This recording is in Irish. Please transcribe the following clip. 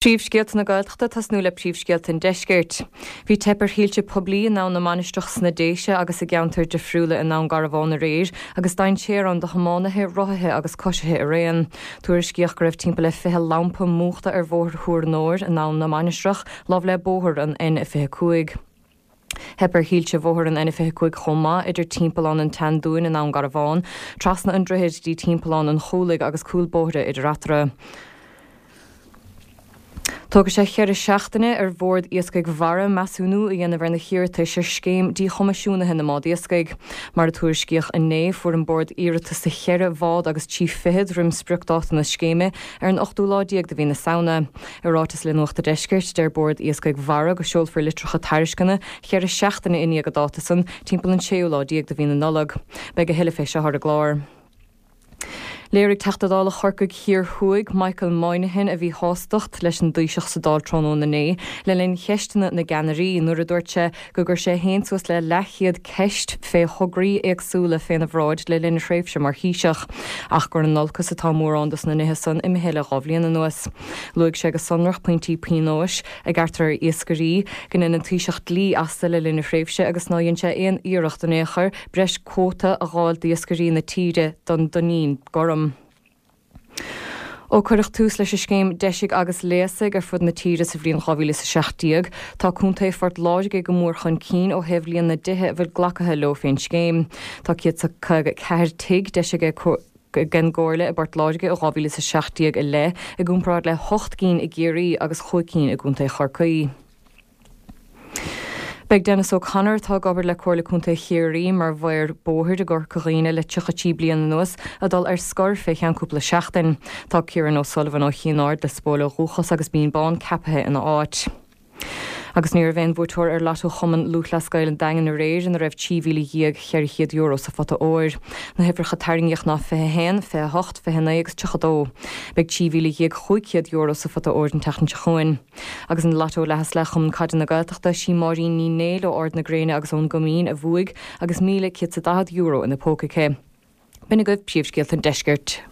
Príomhscéalta na Gaeltachta ag tosnú le príomhscéalta an Deiscirt. Bhí teip ar thuilte poiblí i nAbhainn na Mainistreach sna Déise agus i gceantair difriúla i nDún Garbhán aréir agus dainséar ann do thiománaithe, rothaithe agus coisithe araon. Tuairiscíodh go raibh timpeall le 20 lampa múchta ar Bhóthar Thuar an Óir in Abhainn na Mainistreach, lámh le bóthar an N25. Theip ar thuilte bhóthar an N25 chomh maith, idir Timpeallán an tSeandúin i nDún Garbhán, trasna an droichid dtí Timpeallán an Chúlaigh agus cúl bóithre idir eatarthu. Tógfaidh sé cheithre seachtaine ar Bhord Iascaigh Mhara measúnú a dhéanamh ar na hiarratais ar scéim díchoimisiúnaithe na mbád iascaigh. Mar a tuairiscíodh inné, fuair an Bord iarratas do cheithre bhád agus trí fichead roim spriocdáta na scéime ar an ochtú lá déag de mhí na Samhna. I ráiteas le Nuacht a' Deiscirt, deir Bord Iascaigh Mhara go seolfar litreacha tairisceana cheithre seachtaine i ndiaidh an dáta san, timpeall an séú lá déag de mhí na Nollag. Beidh a thuilleadh fé seo ar an gclár. Léirigh Teachta Dála Chorcaigh Thiar Thuaidh, Michael Moynihan, a mhíshástacht leis an dTaoiseach sa Dáil tráthnóna inné le linn cheisteanna na gceannairí nuair a dúirt sé gur chuir sé féin suas le leathchéad ceist fé thograí éagsúla féna bhráid le linn a thréimhse mar Thaoiseach, ach gur in olcas atá mórán dos na nithe san imithe le dha bhliain anuas. Luaigh sé go sonrach pointí pionóis a gearrtar ar iascairí, go ndein an Taoiseach dlí astu le linn a thréimhse agus ná dhein sé aon iarracht in aon chor breis cuóta a dh'fháil d'iascairí na tíre don dtuinnín gorm. Ó cuireadh tús leis an scéim Deisigh agus Léasaigh ar fud na tíre sa bhliain 2017, tá Contae Phort Láirge go mór chun cinn ó thaobh líon na dtithe a bhfuil glacaithe leo fén scéim. Tá 154 tigh deisithe ag an gComhairle i bPort Láirge ó 2017 i leith, i gcomparáid le hocht gcinn i gCiarraí agus chúig cinn i gContae Chorcaí. Beidh Denis O'Connor, atá ag obair le Comhairle Contae Chiarraí mar mhaor bóthair i gCorca Dhuibhne le 33 bliain anuas, ag dul ar scor fé cheann cúpla seachtain. Tá Kieran O'Sullivan ó Chinn Aird, Lios Póil ó dhúchas agus Binn Bán ceapaithe ina áit. Agus ní raibh aon bhuaiteoir ar Lotto Chumann Lúthchleas Gael an Daingin aréir ina raibh €13,400 sa phota óir. Na huimhreacha tarraingíodh ná 21, 28, 29 agus 32. Beidh €13,500 sa phota óir an tseachtain seo chugainn. Agus in Lotto Leath is Leath Chumann Caide na Gaeltachta, sí Máirín Ní Néill ó Ard na Gréine agus ón gCoimín a bhuaigh agus €1,140 ina póca aici. B'in agaibh príomhscéalta an deiscirt.